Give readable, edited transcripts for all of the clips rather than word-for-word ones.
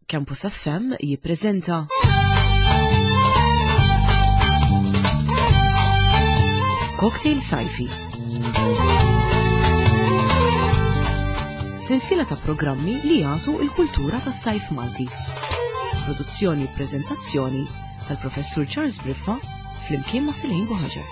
Campus FM jippreżenta Cocktail Sajfi. Sensiela ta' programmi li jagħtu il-kultura tas-sajf Malti. Produzzjoni u preżentazzjoni tal-Professur Charles Briffa flimkien ma' Silejn Buħaġar.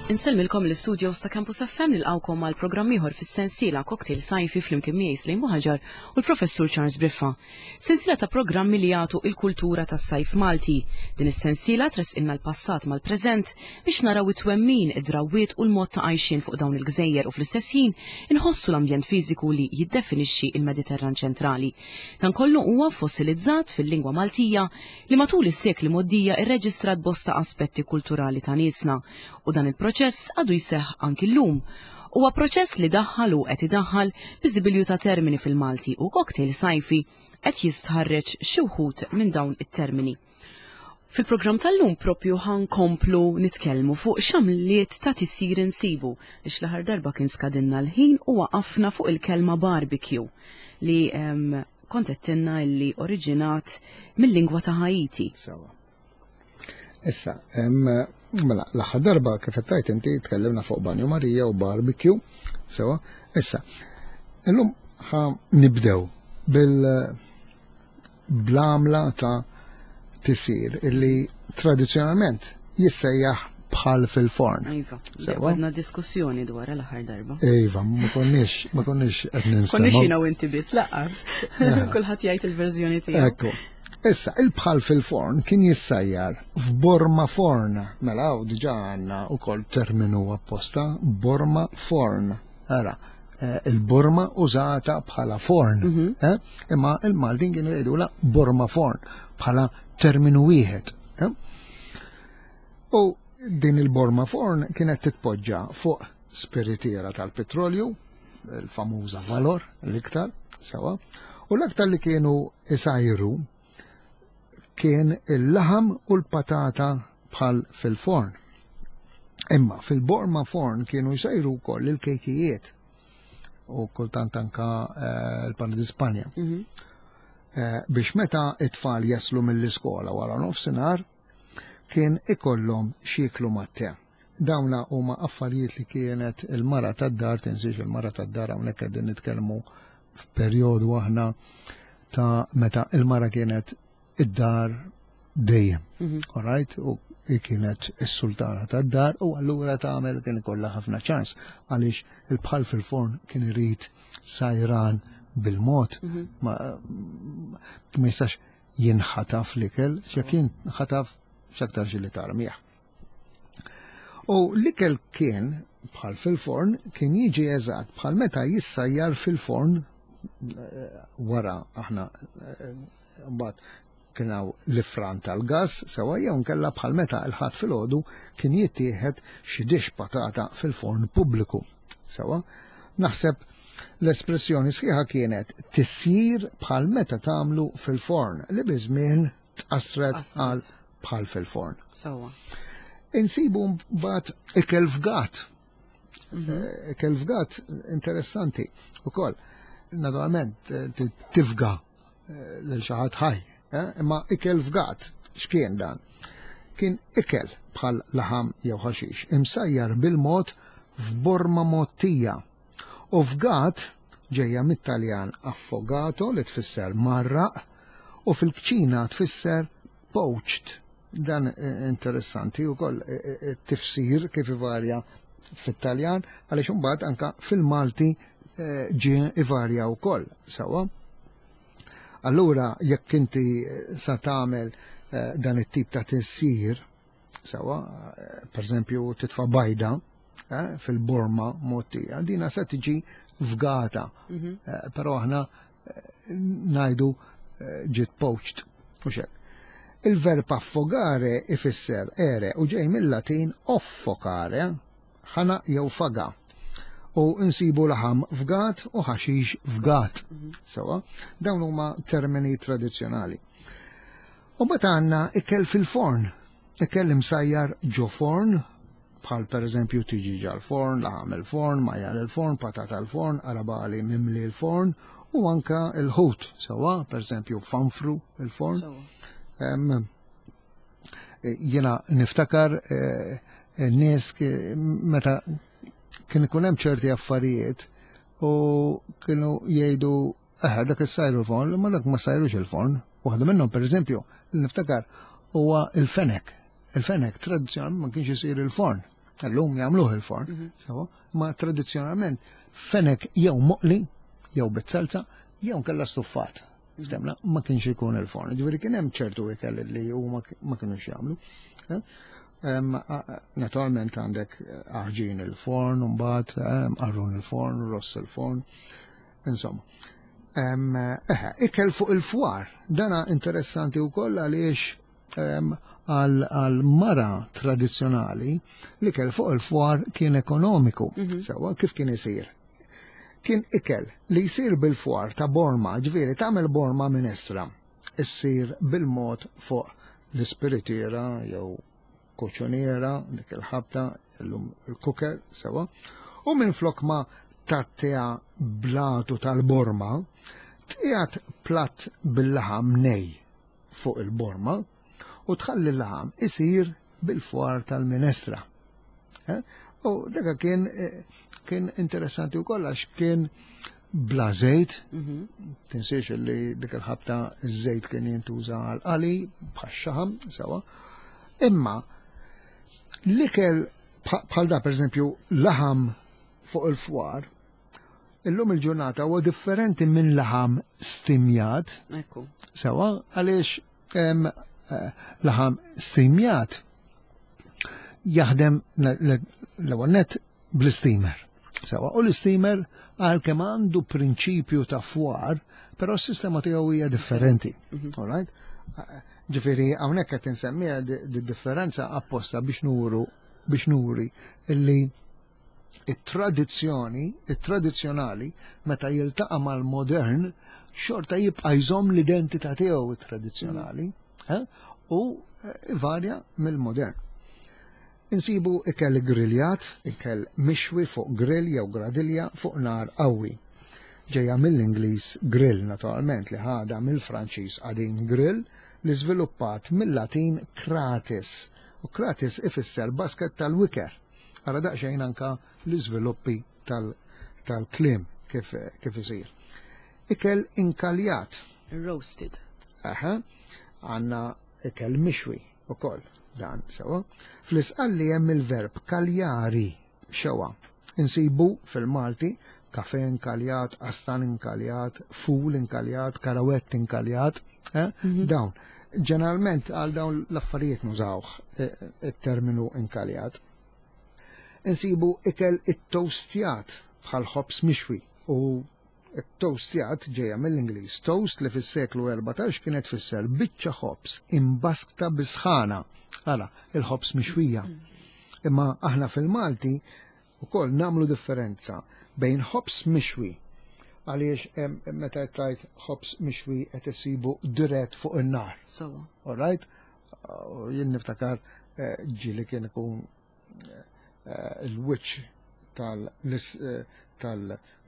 Insellmilkom l-istudios ta' Campus FM nilqawkom għal programm ieħor fis-sensiela Cocktail Sajfi flimkien miegħi Slejn Buħaġar u l-Professur Charles Briffa. Sensiela ta' programmi li jagħtu il-kultura tas-sajf Malti. Din is-sensiela tressqilna l-passat mal-preżent biex naraw it-twemmin, id-drawwiet u l-mod ta' għajxien fuq dawn il-gżejjer u fl-istess ħin inħossu l-ambjent fiżiku li jiddefinixxi l-Mediterran ċentrali. Dan kollu huwa fossilizzat fil-lingwa Maltija li matul is-sekli mgħoddija rreġistrat bosta aspetti kulturali ta' niesna u dan il-proċess għadu jseħħ anki llum. Huwa proċess li daħħal u qed idaħħal biżibilju ta' termini fil-Malti u cocktail sajfi qed jistħarreġ xi wħud minn dawn it-termini. Fil-programm tal-lum propju ħankomplu nitkellmu fuq x'għamliet ta' tisjir insibu għax l-aħħar darba kien skadinna l-ħin u waqafna fuq il-kelma barbecue li kont għedtilna illi oriġinat mill-lingwa ta' Haiti. Sewa. Issa, mela, l-aħħar darba kif qed tgħid inti tkellimna fuq Banju Marija u barbecue, sewa. Issa, illum ħa nibdew bil bl-għamla ta' tisir illi tradizzjonalment jissejjaħ bħal fil-forn. Iva, sewa. Għadna diskussjoni dwar l-aħħar darba. Iva, ma konniex, ma konniex qed ninstema'. Konniex jiena u inti biss laqqas. Kulħadd jgħid il-verżjoni tiegħu. Ekku. Issa, il-bħal fil-forn kien jissajjar f'borma forn. Mela, u diġa għandna wkoll terminu apposta, borma forn. Ara, eh, il-borma użata bħala forn. Mhm. eh? Imma il-Maltin kienu jgħidula borma forn bħala terminu wieħed. Eh? U din il-borma forn kienet titpoġġa fuq spiritiera tal-petrolju, il-famuża Valor l-iktar, sewa, u l-aktar li kienu isajru kien il-laħam u l-patata bħal fil-forn. Imma fil-borma forn kienu jsajru wkoll il-kejkijiet u kultant anka eh, l-pan di Spanja. Mhm. Eh, biex meta it-tfal jaslu mill-iskola wara nofsinhar kien ikollhom x'jieklu mat-te. Dawna huma affarijiet li kienet il-mara tad-dar, tinsiex il-mara tad-dar hawnhekk qegħdin nitkellmu f'perjodu aħna ta' meta il-mara kienet id-dar dejjem. Mhm. All right? U kienet is-sultana tad-dar u allura tagħmel kien ikollha ħafna ċans għaliex il-bħal fil-forn kien irid sajran bil-mod mhm. ma jistax jinħataf l-ikel, x'jekk jinħataf x'aktar xi li tarmih. U l-ikel kien bħal fil-forn kien jiġi eżatt bħal meta jissajjar fil-forn eh, wara aħna eh, mbagħad kien hawn l-ifran tal-gass sewa jew nkella bħal meta l-ħadd filgħodu kien jittieħed xi dix patata fil-forn pubbliku. Sewa, naħseb l-espressjoni sħiħa kienet tisjir bħal meta tagħmlu fil-forn li biż-żmien tqassret għal bħal fil-forn. Sawa. Insibu mbagħad ikel fgat. Mhm. Eh, ikel fgat interessanti ukoll. Naturalment eh, tifga eh, lil xi ħadd ħaj, imma ikel fgat x'kien dan? Kien ikel bħal laħam jew ħaxix, imsajjar bil-mod f'borma mottija U fgat ġejja mit-Taljan affogato li tfisser mgħarraq u fil-kċina tfisser poached. Dan interessanti wkoll it-tifsir kif ivarja fit-Taljan għaliex imbagħad anka fil-Malti ġie ivarja wkoll sewwa. Allura jekk inti sa tagħmel dan it-tip ta' tisjir Sewa, per eżempju, titfa' bajda eh, fil-borma mottija, dina se tiġi fgata. Mhm. Eh, però aħna eh, najdu ġiet poached u xek. Il-verb affogare ifisser ere u ġej mill-Latin offocare, ħana jew faga. U nsibu laħam fgat u ħaxix fgat. Mhm. Sewa, dawn huma termini tradizzjonali. U mbagħad għandna ikel fil-forn. Ikel imsajjar ġo forn, bħal per eżempju tiġiġa l-forn, laħam il-forn, majjal il-forn, patata l-forn, qarabagħli mimli l-forn, u anka l-ħut, sewwa, per eżempju fanfru il-forn. Jiena niftakar n-nies meta kien ikun hemm ċerti affarijiet u kienu jgħidu Eħe, dak is-sajru l-forn, ma dak ma sajrux il-forn. Waħda minnhom, per eżempju, li niftakar huwa il-fenek. Il-fenek tradizzjonalment ma kienx isir il-forn. Illum jagħmluh il-forn, sewa, ma tradizzjonalment fenek jew moqli, jew bit-salza, jew nkella stuffat. Ftemna, ma kienx ikun il-forn. Ġifieri kien hemm ċertu ikel li huma ma kinux jagħmlu. Eh? Naturalment għandek aħġin il-forn, mbagħad qarrun il-forn, ross il-forn. Insomma. Eħe, ikel fuq il-fwar. Dana interessanti wkoll għaliex għal mara tradizzjonali l-ikel fuq il-fwar kien ekonomiku. Sewa, kif kien isir? Kien ikel li jsir bil-fwar ta' borma, ġifieri tagħmel borma minestra, issir bil-mod fuq l-ispiritiera jew koċoniera, dik il-ħabta, illum il-cooker, sewa, u minflok ma tgħattiha blatu tal-borma, tqiegħed platt bil-laħam nej fuq il-borma u tħalli l-laħam isir bil-fwar tal-minestra. Eh? U dak kien eh, kien interessanti wkoll għax kien bla żejt, tinsiex li dik il-ħabta ż-żejt kien jintuża għal qali bħax-xaħam, sewa. Imma l-ikel bħal da pereżempju laħam fuq il-fwar, illum il-ġurnata huwa differenti minn laħam stimjat. Ekku. Sewa, għaliex eh, laħam stimjat jaħdem l-ewwel net bl-isteamer. Sewa, u l-isteamer għalkemm għandu prinċipju ta' fwar, però s-sistema tiegħu hija differenti. All right? Ġifieri hawnhekk qed insemmiha di differenza apposta biex nuru biex nuri illi it-tradizzjoni, it-tradizzjonali meta jiltaqa' mal-modern xorta jibqa' jżomm l-identità tiegħu it-tradizzjonali eh? u eh, varja mill-modern. Insibu ikel griljat, ikel mixwi fuq grill jew gradilja fuq nar qawwi. Ġejja mill-Ingliż grill naturalment li ħadha mill-Franċiż qadim grill li żviluppat mill-Latin kratis u kratis ifisser basket tal-wiker. Ara daqsxejn anka l-iżviluppi tal-kliem kif, kif isir. Ikel inkaljat. Roasted. Aha, għanna ikel mixwi ukoll dan sewa. Fl-isqalli hemm il-verb kaljari xewa. Insibu fil-Malti kafe inkaljat, qastan inkaljat, ful inkaljat, karawett inkaljat, eh? Dawn. Ġeneralment għal dawn l-affarijiet nużawh eh, it-terminu inkaljat. Insibu ikel it-toastjat bħal ħobż mixwi u it-toastjat ġejja mill-Ingliż toast li fis-seklu 14 kienet tfisser biċċa ħobż imbaskta bis-sħana. Ara, il-ħobż mixwija. Imma aħna fil-Malti ukoll nagħmlu differenza bejn ħobż mixwi għaliex meta qed tgħid ħobż mixwi qed isibu dirett fuq in-nar. Sewwa. All right? Jien niftakar eh, ġieli kien ikun eh, il-wiċċ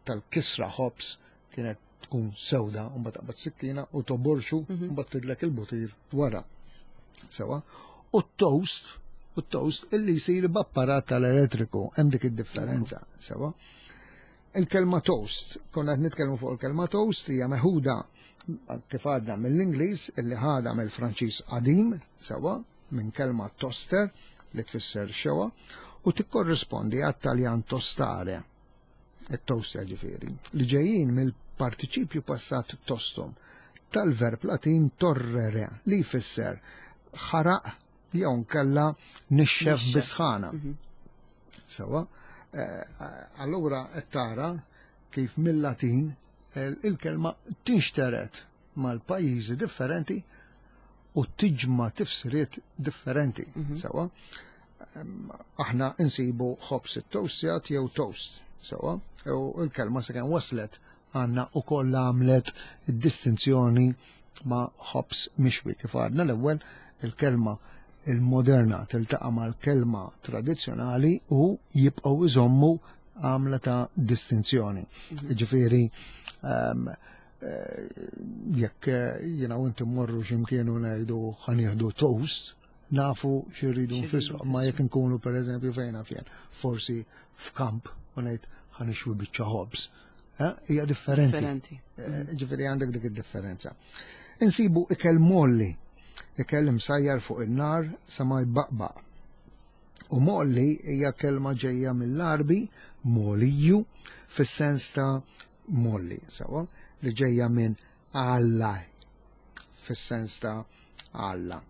tal-kisra ħobż kienet tkun sewda, u mbagħad taqbad sikkina u toborxu, u mbagħad tidlek il-butir wara. Sewa. U t-toast, u t-toast illi jsir b'apparat tal-elettriku, hemm dik id-differenza, sewa. Il-kelma toast, konna qed nitkellmu fuq il-kelma toast hija meħuda kif għadna mill-Ingliż illi ħadha mill-Franċiż qadim, sewa, minn kelma toster li tfisser xewa u tikkorrispondi għat-Taljan tostare, it-toaster ġifieri, li ġejjin mill-partiċipju passat tostum tal-verb Latin torrere li jfisser ħaraq jew nkella nixxef bisħana. Sewa, eh, allura qed tara kif mill-Latin eh, il-kelma tinxteret mal-pajjiżi differenti u tiġma tifsiriet differenti. Sewa, aħna insibu ħobż it-toastjat jew toast. Sewa, u l-kelma sakemm waslet għandna ukoll għamlet distinzjoni ma' ħobż mixwi. Kif għadna l-ewwel il-kelma il-moderna tiltaqa' mal-kelma tradizzjonali u jibqgħu iżommu għamla ta' distinzjoni. Ġifieri jekk jiena u inti mmorru x'imkien u ngħidu ħa nieħdu toast, nafu x'irridu nfissru, ma jekk inkunu pereżempju fejn naf jien, forsi f'kamp u ngħid ħa nixwi biċċa ħobż. Hija differenti. Differenti. Ġifieri għandek dik id-differenza. Insibu ikel molli, ikel imsajjar fuq in-nar sa ma jbaqbaq. U molli hija kelma ġejja mill-Għarbi, moliju, fis-sens ta' molli, sawa, li ġejja minn Alla, fis-sens ta' Alla,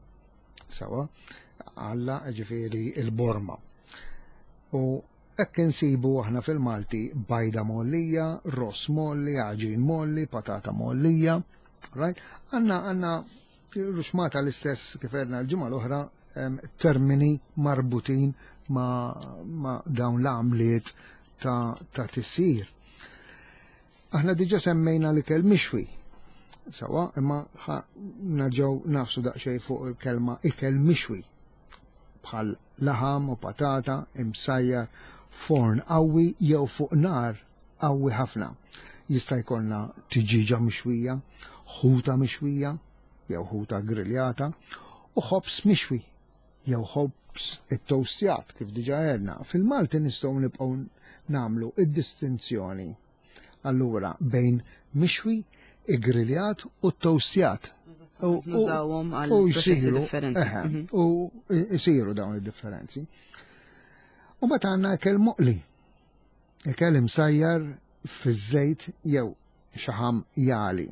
sawa, Alla ġifieri il-borma. U hekk insibu aħna fil-Malti bajda mollija, ross molli, għaġin molli, patata mollija, right? Għanna ruxmata l-istess kif għedna l-ġimgħa l-oħra, termini marbutin ma dawn l-għamliet ta' tisir. Aħna diġa semmejna l-ikel mixwi, sawa, imma nerġgħu nafsu daqsxejn fuq il-kelma ikel mixwi, bħal laħam u patata imsajjar forn qawwi jew fuq nar qawwi ħafna. Jista' jkollna tiġiġa mixwija, ħuta mixwija jew ħuta griljata u ħobż mixwi jew ħobż it-toastjat kif diġa għedna. Fil-Malti nistgħu nibqgħu nagħmlu id-distinzjoni allura bejn mixwi, igriljat u toastjat. Nużawhom għal proċessi differenti. U jsiru dawn id-differenzi. U mbagħad għandna ikel moqli. Ikel imsajjar fiż-żejt jew xaħam jali.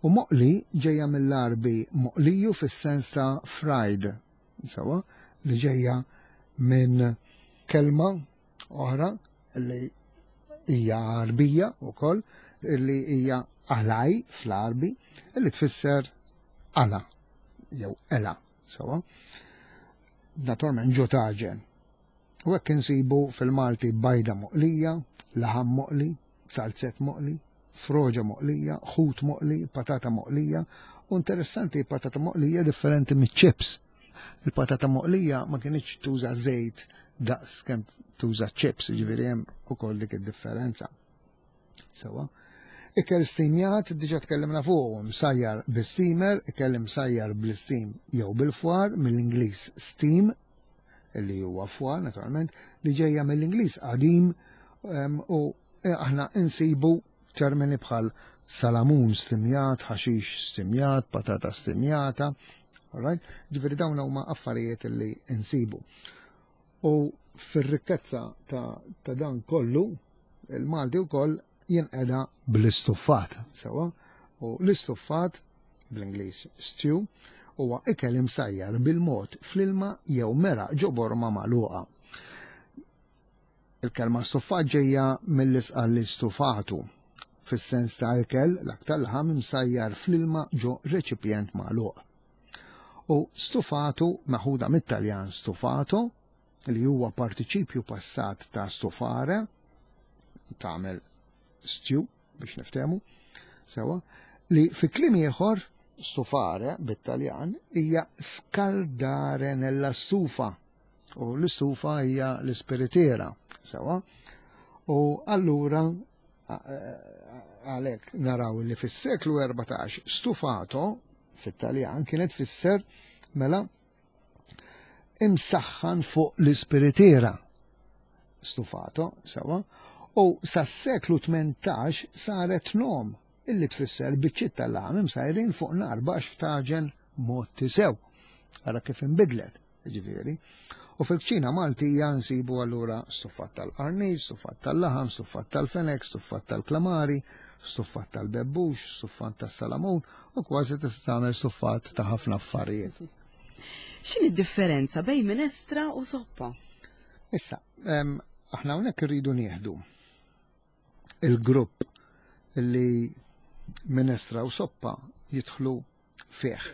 U moqli ġejja mill-Għarbi moqliju fis-sens ta' fried, sawa, li ġejja minn kelma oħra li hija Għarbija wkoll, li hija alaj fl-Għarbi, li tfisser ala jew ela, sawa. Naturalment ġo taġen. U hekk insibu fil-Malti bajda moqlija, laħam moqli, salzett moqli, froġa moqlija, ħut moqli, patata moqlija. U interessanti, patata moqlija differenti miċ-ċips. Il-patata moqlija ma kienx tuża żejt daqs kemm tuża ċips, ġifieri hemm ukoll dik id-differenza. Sewa. Ikel stimjat, diġa tkellimna fuq, msajjar bil-steamer, ikel imsajjar bl-steam jew bil-fwar, mill-Ingliż steam, li huwa fwar naturalment, li ġejja mill-Ingliż qadim, u aħna insibu termini bħal salamun stimjat, ħaxix stimjat, patata stimjata, all right? Ġifieri dawn huma affarijiet li insibu. U fir-rikkezza ta' dan kollu, il-Malti wkoll jinqeda bl-istuffat, sewa, u l-istuffat bl-Ingliż stew huwa ikel imsajjar bil-mod fl-ilma jew meraq ġo borma magħluqa. Il-kelma stuffat ġejja mill-isqal stufatu, fis-sens ta' ikel l-aktar laħam imsajjar fl-ilma ġo reċipjent magħluq. U stufatu meħuda mit-Taljan stufato, li huwa partiċipju passat ta' stufare, tagħmel stew biex niftehmu, sewa, li fi kliem ieħor stufare bit-Taljan hija scaldare nella stufa, u l-istufa hija l-ispiritiera, sewa, u allura għalhekk naraw li fis-seklu 14 stufato fit-Taljan kienet tfisser mela imsaħħan fuq l-ispiritiera, stufato, sewa, u sas-seklu 18 saret nom illi tfisser biċċiet tal-laħam imsajrin fuq nar baxx f'taġen mod tisew. Ara kif inbidlet, ġifieri. U fil-kċina Maltija nsibu allura stuffat tal-qarnit, stuffat tal-laħam, stuffat tal-fenek, stuffat tal-klamari, stuffat tal-bebbux, stuffat tas-salamun, u kważi tista' tagħmel stuffat ta' ħafna affarijiet. X'inhi d-differenza bejn minestra u soppa? Issa, aħna hawnhekk irridu nieħdu il-grupp li minestra u soppa jidħlu fih.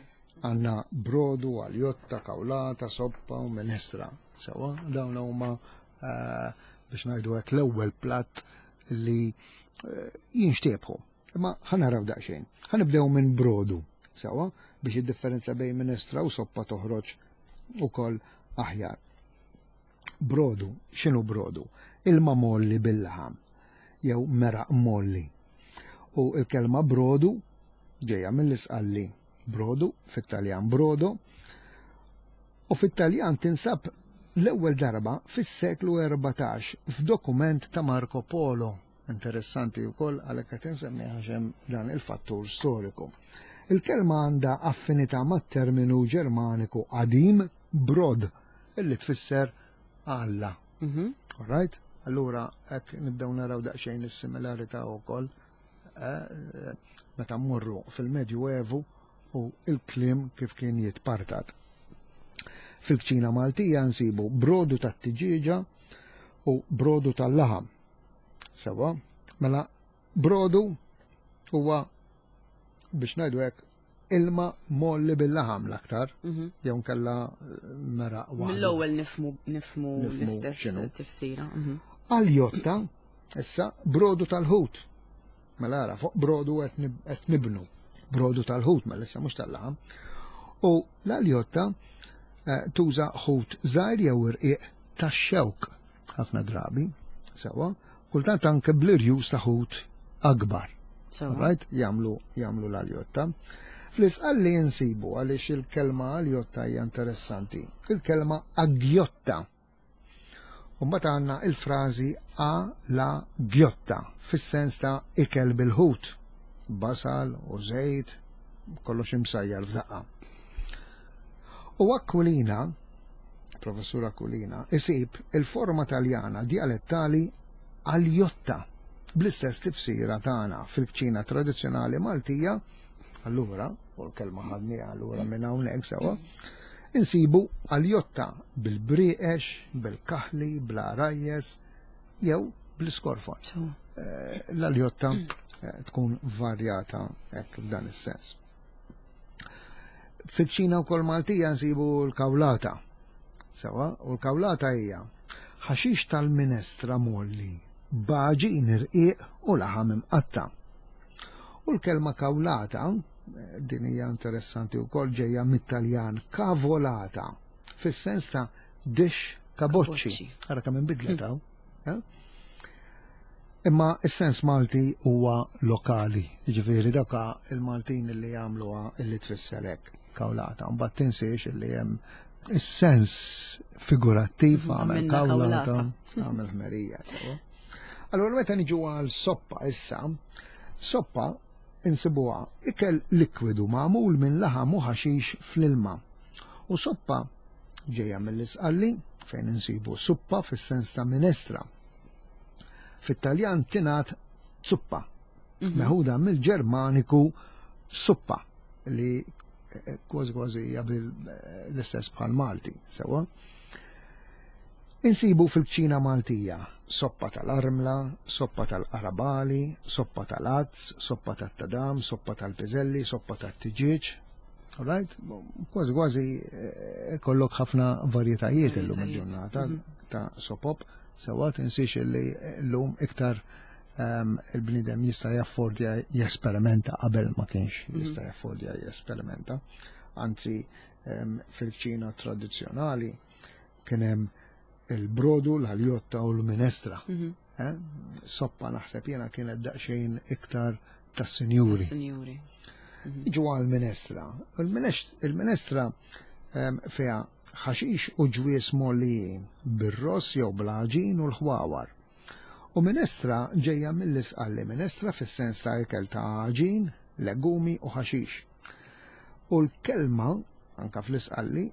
Għanna brodu, aljotta, kawlata, soppa u minestra. Sewa, dawn huma biex ngħidu hekk l-ewwel platt li jinxtiebħu. Imma ħa naraw daqsxejn. Ħa nibdew minn brodu, sewa, biex id-differenza bejn minestra u soppa toħroġ ukoll aħjar. Brodu, x'inhu brodu? Ilma molli bil-laħam jew meraq molli. U l-kelma brodu ġejja mill-isqalli brodu, fit-Taljan brodo, u fit-Taljan tinsab l-ewwel darba fis-seklu 14 f'dokument ta' Marco Polo. Interessanti wkoll għalhekk qed insemmi għax hemm dan il-fattur storiku. Il-kelma għandha affinità mat-terminu Ġermaniku qadim brod illi tfisser Alla. Mhm. All right? Allura hekk nibdew naraw daqsxejn is-similarità wkoll eh, eh, meta mmorru fil-Medju Evu u il-kliem kif kien jitpartat. Fil-kċina Maltija nsibu brodu tat-tiġieġa u brodu tal-laħam. Sewa, mela brodu huwa biex ngħidu hekk ilma molli bil-laħam l-aktar, mhm. jew nkella eh, mera waħda. Mill-ewwel nifmu nifmu l-istess tifsira. Mhm. Aljotta, issa brodu tal-ħut. Mela ara, fuq brodu qed nibnu. Brodu tal-ħut, mela issa mhux tal-laħam. U l-aljotta eh, tuża ħut żgħir jew irqiq tax-xewk ħafna drabi, sewa, kultant anke bl-irjus ta' ħut akbar. Right? Jamlu, jamlu l-aljotta. Fl-isqalli jinsibu għaliex il-kelma aljotta hija interessanti. Il-kelma agjotta. U mbagħad għandna il-frażi a la gjotta fis-sens ta' ikel bil-ħut, basal u żejt, kollox imsajjar f'daqqa. U Aquilina Professur Aquilina, isib il-forma Taljana djalettali aljotta bl-istess tifsira tagħna fil-kċina tradizzjonali Maltija, allura, u l-kelma ħadniha allura minn hawnhekk sewa, insibu aljotta bil-brieqex, bil-kaħli, bl-għarajjes jew bl-iskorfon. Eh, l-aljotta eh, tkun varjata hekk f'dan is-sens. Fil-ċina wkoll Maltija nsibu l-kawlata. Sewa, u l-kawlata hija ħaxix tal-minestra molli, b'għaġin irqiq u laħam imqatta. U l-kelma kawlata, din hija interessanti wkoll ġejja mit-Taljan cavolata, fis-sens ta' dix kaboċċi. Ara kemm inbidlet hawn. Eh? Imma s-sens Malti huwa lokali, jiġifieri daka il-Maltin li jagħmluha illi tfisser hekk kawlata. Mbagħad tinsiex illi hemm is-sens figurattiv għamel kawlata, għamel ħmerija. Sewa. Allora meta niġu għal soppa issa, soppa insibuha ikel likwidu magħmul minn laħam u ħaxix fl-ilma. U soppa ġejja mill-Isqalli fejn insibu suppa fis-sens ta' minestra. Fit-Taljan tingħad zuppa, mhm. meħuda mill-Ġermaniku suppa li eh, kważi kważi hija eh, l-istess bħal Malti, sewa. Insibu fil-kċina Maltija soppa tal-armla, soppa tal-qarabali, soppa tal-azz, soppa tat-tadam, soppa tal-piżelli, soppa tat-tiġieġ, Right? Kważi kważi eh, kollok ħafna varjetajiet illum il-ġurnata mhm. ta' sopop, sewa tinsiex li llum iktar ehm, il-bnidem jista' jaffordja jesperimenta qabel ma kienx mhm. jista' jaffordja jesperimenta. Anzi, ehm, fil-ċina tradizzjonali kien hemm il-brodu, l-aljotta u l-minestra. Mhm. Eh? Soppa naħseb jena kienet daqsxejn iktar tas-sinjuri. Sinjuri. Mhm. Iġu għal-minestra. Il-minestra ehm, fiha ħaxix u ġwies mollijin bir-ross jew bl-għaġin u l-ħwawar. U minestra ġejja mill-isqalli minestra fis-sens ta' ikel ta' għaġin, legumi u ħaxix. U l-kelma, anka fl-isqalli,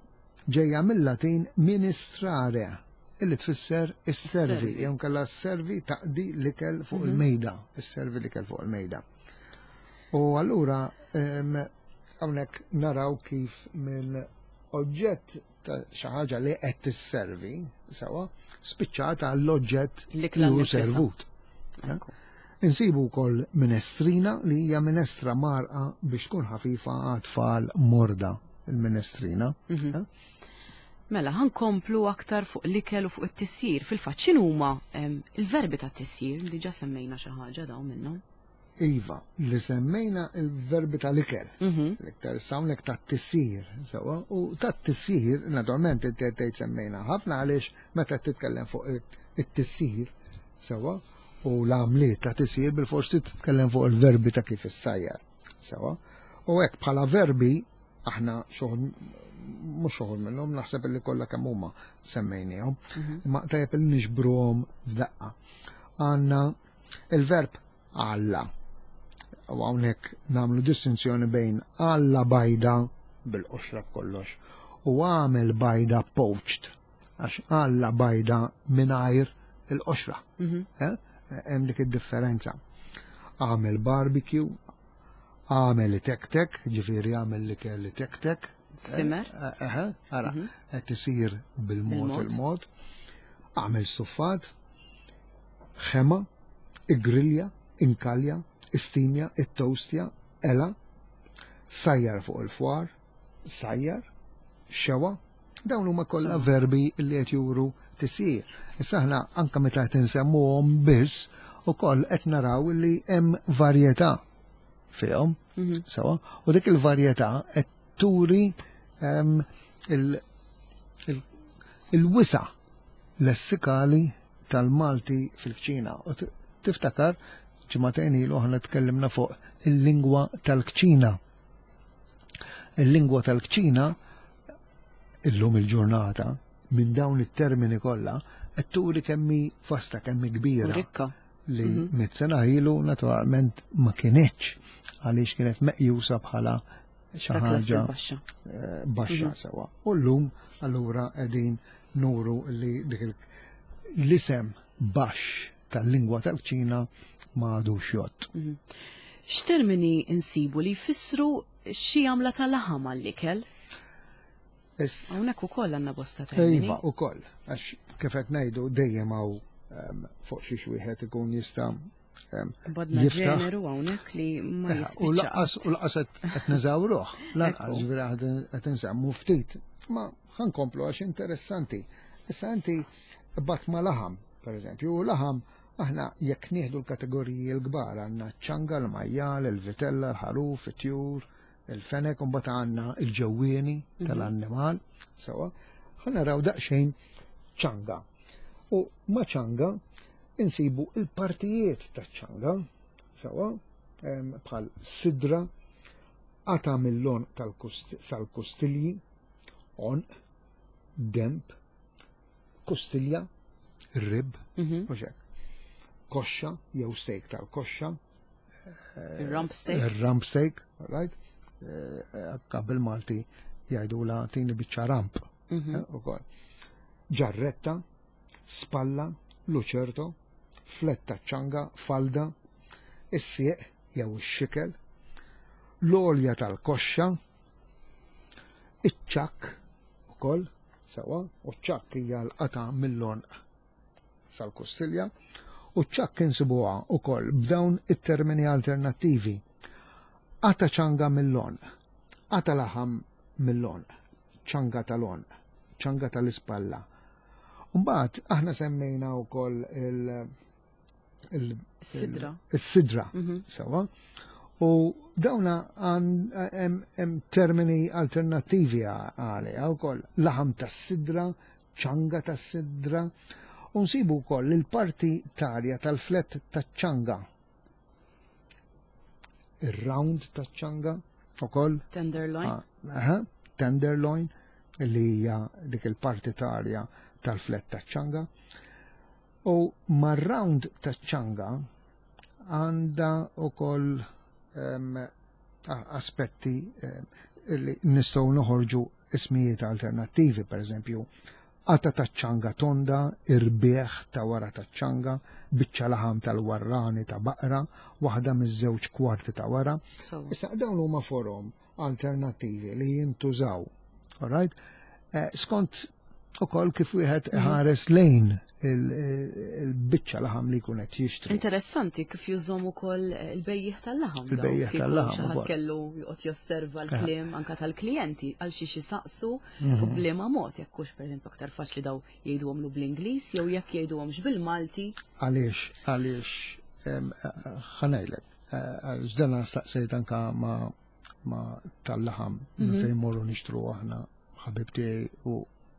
ġejja mill-Latin ministrare, illi tfisser isservi, jew nkella sservi taqdi l-ikel fuq mhm. il-mejda, isservi l-ikel fuq il-mejda. U allura hawnhekk naraw kif minn oġġett ta' xi ħaġa li qed tisservi, sewa, spiċċata għall-oġġett li hu servut. Insibu wkoll minestrina li hija minestra marqa biex tkun ħafifa għat-tfal morda il-minestrina. Mhm. Eh? Mela, ħankomplu aktar fuq l-ikel u fuq it-tisjir. Fil-fatt x'inhuma il-verbi ta' tisjir li ġa semmejna xi ħaġa dawn minnhom? Iva, li semmejna il-verbi tal-ikel, l-iktar hawnhekk tat-tisjir, sewwa, u tat-tisjir, naturalment inti qed tgħid semmejna ħafna għaliex meta titkellem fuq it-tisjir, sewwa, u l-għamliet ta' tisjir bil-forsi titkellem fuq il-verbi ta' kif issajjar, sewwa. U hekk bħala verbi aħna xoħol mhux xoħol minnhom naħseb li kollha kemm huma semmejniehom, imma tajjeb li niġbruhom f'daqqa. Għandna il-verb għalla. U hawnhekk nagħmlu distinzjoni bejn għalla bajda bil-qoxra kollox u għamel bajda poached għax għalla bajda mingħajr il-qoxra. Eh? Hemm dik id-differenza. Għamel barbecue, għamel tek-tek, ġifieri għamel li kelli tek-tek. Simmer. Eħe, ara, qed isir bil-mod il-mod. Għamel stuffat, ħema, igrilja, inkalja, istimja, it-toastja, ela, sajjar fuq il-fwar, sajjar, xewa, dawn huma kollha verbi li qed juru tisjir. Issa aħna anke meta qed insemmuhom biss ukoll qed naraw li hemm varjetà fihom, sewa, u dik il-varjetà qed turi il-wisa lessikali tal-Malti fil-kċina. U tiftakar ġimagħtejn ilu aħna tkellimna fuq il-lingwa tal-kċina. Il-lingwa tal-kċina illum il-ġurnata minn dawn it-termini kollha qed turi kemmi vasta, kemmi kbira. Rikka. Li mit sena ilu naturalment ma kinitx għaliex kienet meqjusa bħala xi ħaġa baxxa. baxxa sewwa. U llum allura qegħdin nuru li dik l-isem baxx tal-lingwa tal-kċina ma għadux jgħodd. X'termini insibu li jfissru xi għamla ta' laħam għall-ikel? Hawnhekk ukoll għandna bosta termini. Iva, ukoll, għax kif qed ngħidu dejjem hawn fuq xiex wieħed ikun jista' Badna jiftaħ. ġeneru hawnhekk li ma U jispiċċa. laqas u laqas qed neżawruh, lanqas Ekku. ġifieri qed insemmu ftit. Ma ħankomplu għax interessanti. Issa inti bat ma laħam, per eżempju, u laħam aħna jekk nieħdu l-kategoriji l-kbar għandna ċ-ċanga, l-majjal, il-vitella, l-ħaruf, it-tjur, il-fenek, u mbagħad għandna il-ġewwieni tal-annimal, sewa. Ħa naraw daqsxejn ċanga. U ma ċanga insibu il-partijiet taċ-ċanga, sewa, bħal sidra, qata mill-għonq sal-kustilji, għonq, demb, kustilja, rib, u xek. Koxxa, jew steak tal-koxxa. Il-rump steak. Il-rump steak, all right? Akka bil-Malti jgħidu la tini biċċa rump. Ukoll. Ġarretta, spalla, luċerto, fletta ċanga, falda, is-sieq jew ix-xikel, l-olja tal-koxxa, iċ-ċakk ukoll, sewa, u ċ-ċakk hija l-qata mill-għonq sal-kustilja, u ċ-ċakk insibuha ukoll b'dawn it-termini alternattivi. Qata ċanga mill-għonq, qata laħam mill-għonq, ċanga tal-għonq, ċanga tal-ispalla. Mbagħad aħna semmejna wkoll Sidra. il-sidra, sewa. U dawna hemm termini alternattivi għaliha wkoll laħam tas-sidra, ċanga tas-sidra, u nsibu wkoll il-parti tarja tal-flett taċ-ċanga. Ir-round taċ-ċanga ukoll. Tenderloin. Aha, tenderloin, li hija dik il-parti tarja tal-flett taċ-ċanga. U mar-round taċ-ċanga għandha ukoll aspetti li nistgħu noħorġu ismijiet alternattivi, per eżempju, qata taċ-ċanga tonda, irbieħ ta' wara taċ-ċanga, biċċa laħam tal-warrani ta' baqra, waħda miż-żewġ kwarti ta' wara. Issa dawn huma forom alternattivi li jintużaw. All right? Skont ukoll kif wieħed ħares lejn il-biċċa laħam li jkun qed jixtri. Interessanti kif jużhom ukoll il-bejjiegħ tal-laħam. Il-bejjiegħ Kieku tal-laħam xi ħadd ukoll. kellu joqgħod josserva l-kliem anka tal-klijenti għal xi saqsu u b'liema mod jekk hux pereżempju aktar faċli daw jgħiduhomlu bl-Ingliż jew jekk jgħiduhomx bil-Malti. Għaliex, għaliex ħanajlek. Għax dan staqsejt anka ma tal-laħam minn fejn morru nixtru aħna ħabib tiegħi u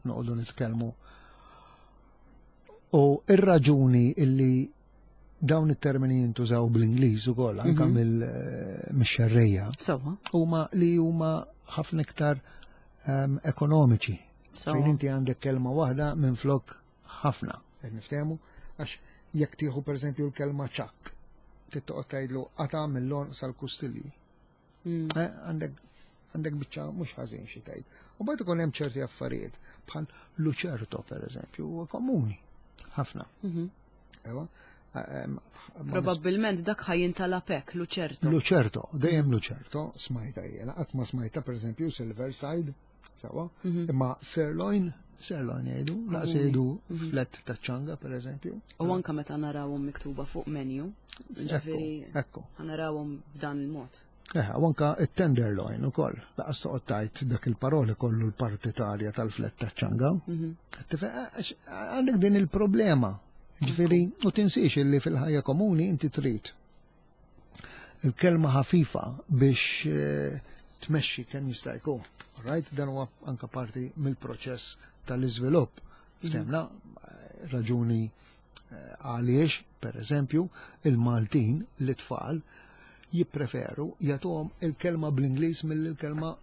noqogħdu nitkellmu. U ir-raġuni illi dawn it-termini jintużaw bl-Ingliż ukoll anka mill-xerrejja huma li huma ħafna iktar ekonomiċi. Fejn inti għandek kelma waħda minn flok ħafna, qed niftehmu, għax jekk tieħu pereżempju l-kelma ċakk, trid toqgħod tgħidlu qata' mill-għonq sal-kustilji. Għandek biċċa mhux ħażin xi tgħid. U mbagħad ikun hemm ċerti affarijiet bħal luċerto pereżempju huwa komuni ħafna. Ewa. Probabbilment dak ħa jintalab hekk, luċerto. Luċerto, dejjem luċerto, smajta jiena, qatt ma smajta pereżempju silver side, sawa, imma sirloin, sirloin jgħidu, laqas jgħidu flet ta' ċanga pereżempju. U anka meta narawhom miktuba fuq menu, ġifieri Ekku. narawhom b'dan il-mod. U anka it-tenderloin ukoll, laqas toqgħod tgħid dak il-paroli kollu l-partitarja tal-flet ta' ċanga. Għandek din il-problema. Ġifieri, u tinsiex illi fil-ħajja komuni inti trid il-kelma ħafifa biex tmexxi kemm jista' jkun. Right? Dan huwa anka parti mill-proċess tal-iżvilupp. Ftemna raġuni għaliex, per eżempju, il-Maltin, l-tfal, jippreferu jagħtuhom il-kelma bl-Ingliż mill-kelma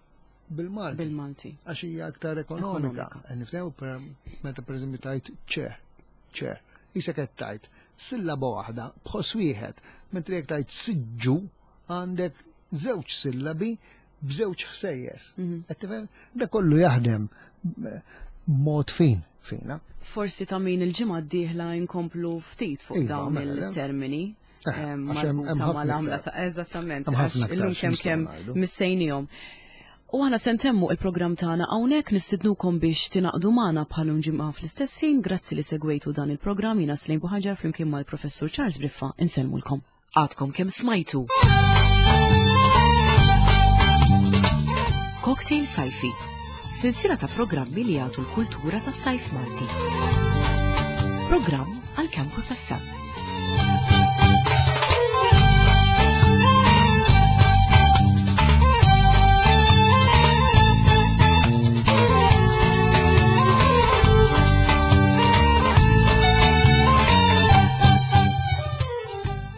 bil-Malti. Bil-Malti. Għax hija aktar ekonomika. Niftew meta per eżempju tajt ċe, ċe. Issa qed tajt sillaba waħda b'ħoss wieħed, mentri jekk tajt siġġu għandek żewġ sillabi b'żewġ ħsejjes. Qed tifhem? Da kollu jaħdem mod fin fina. Forsi ta' min il-ġimgħa d-dieħla nkomplu ftit fuq Iva, dawn mela, le. il-termini. Għax hemm marbuta ħafna mal-għamla iktar. ta' eżattament, Hemm għax ħafna iktar illum kemm x'nistgħu kemm ngħidu. missejnihom. U aħna se ntemmu il-programm tagħna hawnhekk, nistidnukom biex tingħaqdu magħna bħalum ġimgħa fl-istess ħin. Grazzi li segwejtu dan il-programm. Jiena Slejn Buħaġar flimkien mal-Professur Charles Briffa insellmulkom. Għadkom kemm smajtu. Cocktail Sajfi, sensiela ta' programmi li jagħtu l-kultura tas-sajf Malti. Programm għal Campus FM.